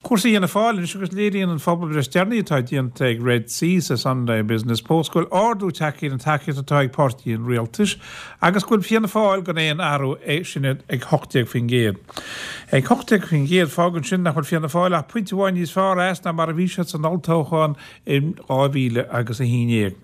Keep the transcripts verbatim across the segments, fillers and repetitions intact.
Cúrsaí Fhianna Fáil anois agus léiríonn an phobalbhreith is deireanaí atá déanta ag Red C sa Sunday Business Post go bhfuil ardú tagtha ar an tacaíocht atá ag páirtí an rialtais agus go bhfuil Fianna Fáil gan aon athrú é sin ag hocht déag faoin gcéad. Ag hocht déag faoin gcéad fágann sin nach bhfuil Fianna Fáil ach pointe amháin níos fearr as ná mar a bhí siad san olltoghchán in dhá mhíle agus a haon déag.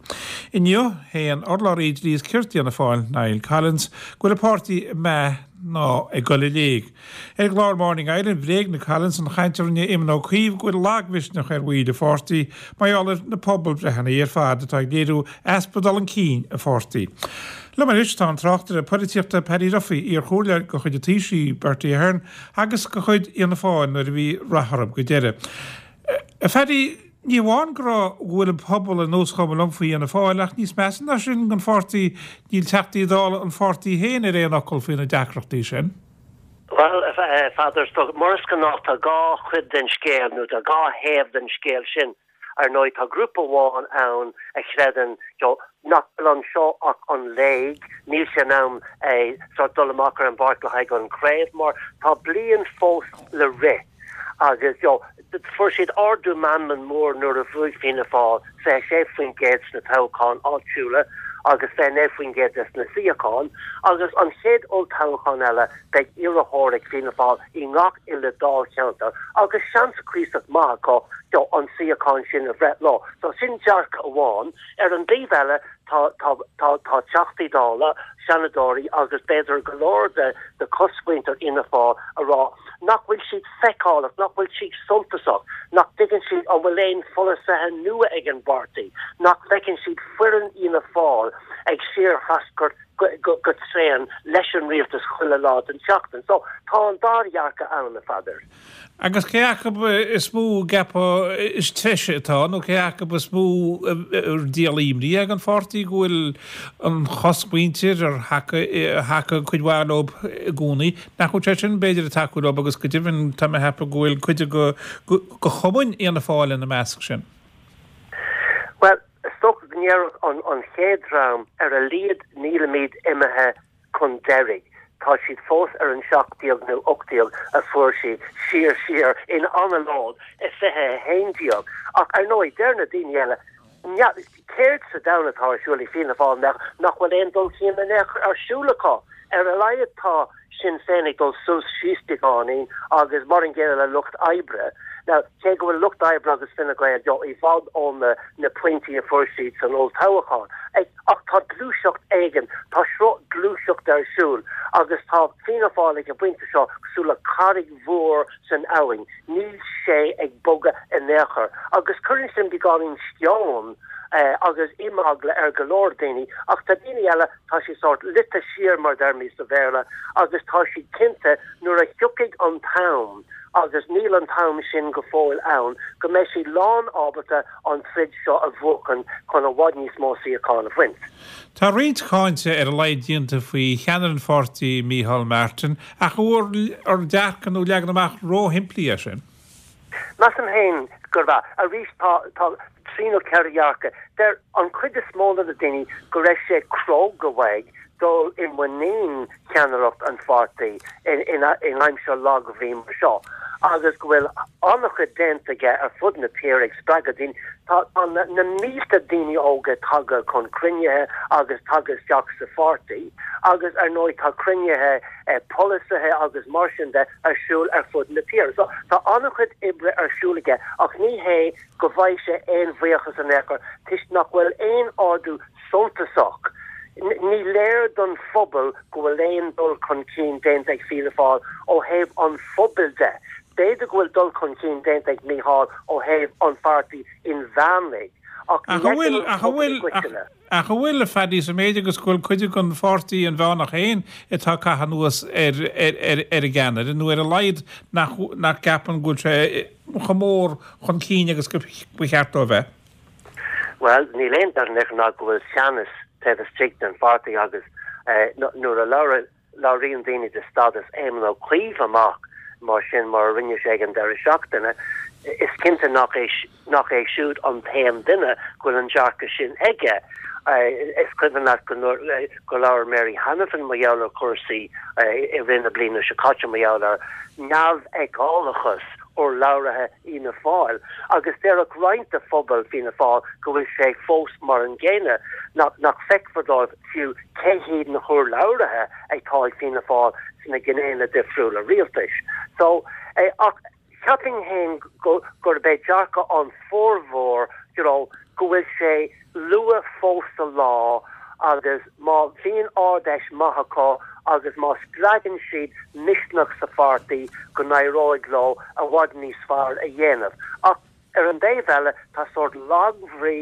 Inniu, shéan urlabhraí dlí is cirt Fhianna Fáil, Niall Collins, go bhfuil an páirtí ag meath ná ag dul i léig. Ar an gclár Morning Ireland, bhréagnaigh Collins an chaint a rinne Éamon Ó Cuív go bhfuil lagmhisneach ar bhaill an pháirtí mar gheall ar na pobalbhreitheanna ar fad atá ag léiriú easpa dul chun cinn an pháirtí. Liom anois tá an tráchtaire polaitíochta Paddy Duffy, iarchomhairleoir de chuid an Taoisigh Bertie Ahern agus de chuid Fhianna Fáil nuair a bhí rath orthu go deireadh. A Phaddy, ní amháin go raibh go bhfuil an pobal ar nós chuma liom faoi Fhianna Fáil ach níos measa ná sin don pháirtí níl Teachtaí Dála an pháirtí féin ar aon fhocal faoi na deacrachtaí sin. Well, a Pheadair, mar is gnách tá dhá chuid den scéal nó tá dhá thaobh den scéal sin. Ar ndóigh tá grúpa amháin ann a chreideann nach bhfuil anseo ach an léig, níl sé in am é sort dul amach ar an bpáirc le haghaidh an chraobh mar tá bliain fós le rith agus you know, fuair siad ardú meanman mór nuair a bhuaigh Fianna Fáil fiche sé faoin gcéad sna toghcháin áitiúla agus fiche naoi faoin gcéad des na suíocháin agus an chéad olltoghchán eile beidh iarrthóir ag Fianna Fáil i ngach uile dáilcheantar agus seans cuíosach maith acu do an suíochán sin a bhreith leo. So sin dearcadh amháin ar an dtaobh eile tá tá tá tá Teachtaí Dála, Seanadóirí agus b'fhéidir go leor de de chosmhuintir Fhianna Fáil a rá nach bhfuil siad feiceálach, nach bhfuil siad suntasach, nach dtuigeann siad an bhfuil aon pholasaithe nua ag an bpáirtí, nach bhfeiceann siad foireann Fhianna Fáil ag síorthreascairt go, go, go tréan leis an rialtas chuile lá den tseachtain. So tá an dá dhearcadh ann a Pheadair. Agus cé acu is mó ceapadh is treise atá nó cé acu is mó díol imní ag an pháirtí go bhfuil an chosmhuintir ar thacaigh cuid mhaith leo i gcónaí nach bhfuil sé sin b'fhéidir ag tacú leo agus go deimhin tá mé ag ceapadh go bhfuil cuid go go chumainn Fhianna Fáil ina measc sin. Well, is dócha go ndéarfadh an an chéad dream ar a laghad nílimid imithe chun deiridh. Tá siad fós ar an seacht déag nó ocht déag a fuair siad siar siar in anallód i fiche a haon déag. Ach ar ndóigh deir na daoine eile céard sa domhan atá ar siúl ag Fianna Fáil nach nach bhfuil aon dul chun cinn ar siúl acu. Ar a laghad tá Sinn Féin ag dul suas síos beagáinín agus mar an gcéanna le Lucht Oibre. Now cé go bhfuil Lucht Oibre agus Fine Gael jo i bhfad ó na na pointí a fuair siad san olltoghchán. Ach tá gluaiseacht éigin, tá sruth gluaiseacht ar siúl agus tá Fianna Fáil ag an bpointe seo cosúil le carraig mhór san abhainn. Níl sé ag bogadh in aon chor. Agus cuireann sin beagáinín sceon eh, agus imeagla ar go leor daoine, ach tá daoine eile tá siad sort luite siar mar deirimid sa Bhéarla agus tá siad cinnte nuair a thiocfaidh an t-am agus níl an t-am sin go fóill ann go mbeidh siad lán ábalta an troid seo a bhuachan chun i bhfad níos mó suíochán a bhaint. Tá roinnt cáinte ar a laghad déanta faoi cheannaire an pháirtí Micheál Martin ach bhfuil an dearcadh nó leagan amach róshimplí é sin. Measaim féin gurb ea arís tá tá trí nó ceithre dhearcadh. Deir an chuid is mó de na daoine go raibh sé cróga uaidh dul i muinín cheannaireacht an pháirtí in in in aimsir lagbhrí mar seo. agus go bhfuil an-chuid déanta aige ar fud na tíre ag spreagadh daoine tá tá na, na mílte daoine óga tagtha chun cruinnithe agus tagtha isteach sa pháirtí agus ar ndóigh tá cruinnithe eh, polasaithe agus mar sin de ar siúl ar fud na tíre. So tá an-chuid oibre ar siúl aige ach ní hé go bhfaighidh sé aon bhuíochas in aon chor toisc nach bhfuil aon ardú suntasach. Ní léir don phobal go bhfuil aon dul chun cinn déanta ag Fianna Fáil ó thaobh an phobail de. B'fhéidir go bhfuil dul chun cinn déanta ag Micheál ó thaobh an pháirtí inmheánaigh. Ach Ach bhfuil ach bhfuil ach bhfuil a Phaddy sa méid agus go bhfuil cuid den pháirtí inmheánach féin atá ag caitheamh anuas ar ar ar ar an gceannaire nó ar a laghad nach nach gceapann go bhfuil sé chomh mór chun cinn agus go ba cheart dó bheith. Well, níl aon dabht ná go bhfuil teannas taobh istigh den pháirtí agus eh, nuair a labhraíonn daoine de stádas Éamon Ó Cuív amach mar sin mar a rinne sé ag an deireadh seachtaine, is cinnte nach é nach é siúd an t-aon duine go bhfuil an dearcadh sin aige. Is cuimhin leat go go labhair Mary Hanafin mar gheall ar chúrsaí i rith na bliana seo caite mar gheall ar neamhfheiceálachas urlabhraithe Fhianna Fáil agus déarfadh roinnt de phobal Fianna Fáil go bhfuil sé fós mar an gcéanna, nach nach feicfear dóibh fiú cé hiad na hurlabhraithe atá ag Fianna Fáil sna gnéanna difriúla rialtais. So eh, ach cheapfainn féin gurb é dearcadh an formhór you know, go bhfuil sé luath fós sa lá agus má bhíonn Ard-Fheis maith acu agus má spreagann siad misneach sa pháirtí go n-éireoidh leo i bhfad níos fearr a dhéanamh. Ach ar an dtaobh eile tá sórt lagbhrí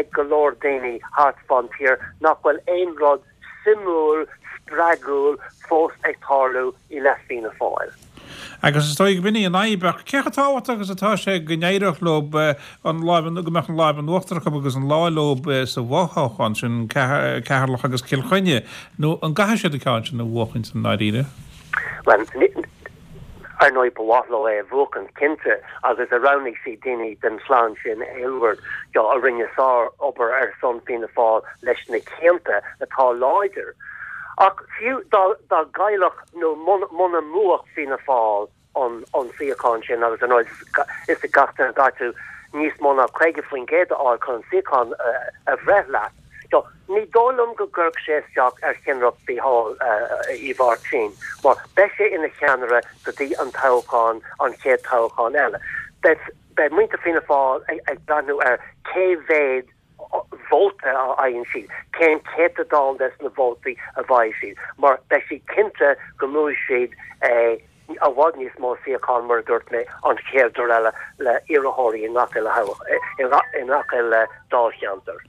ag go leor daoine thart fán tír nach bhfuil aon rud suimiúil spreagúil fós ag tarlú i leith Fianna Fáil. Agus is dóigh b'in í an fhadhb ach cé chomh tábhachtach agus atá sé go n-éireodh leo an lámh go mbeadh an lámh in uachtar acu agus an lá leo sa bhfothoghchán sin Ceatharlach agus Cill Chainnigh nó an gcaithfidh siad an ceann sin a bhuachan san ndáiríre? Well, ar ndóigh ba mhaith leo é a bhuachan cinnte agus a roghnaigh siad daoine den chlann sin Aylward jo a rinne sárobair ar son Fianna Fáil leis na cianta atá láidir. Ach fiú dá dá gcaillfeadh nó muna mbuafadh Fianna Fáil an an suíochán sin agus an is a gach gaiú níos mó ná caoga faoin gcéad a fháil chun an suíochán a bhreith leat. So, ní dóigh liom go gcuirfeadh sé isteach ar cheannaireacht Mhícheál Uí Mháirtín, mar beidh sé ina cheannaire go dtí an toghchán an chéad toghchán eile. Beidh muintir Fianna Fáil ag breathnú ar cé mhéad vóta a fhaigheann siad, cén céatadán des na vótaí a bhfaighidh siad, mar beidh siad cinnte go mbuafaidh siad i bhfad níos mó suíochán mar a dúirt mé an chéad uair eile le iarrthóirí i ngach uile i ngach uile dáilcheantar.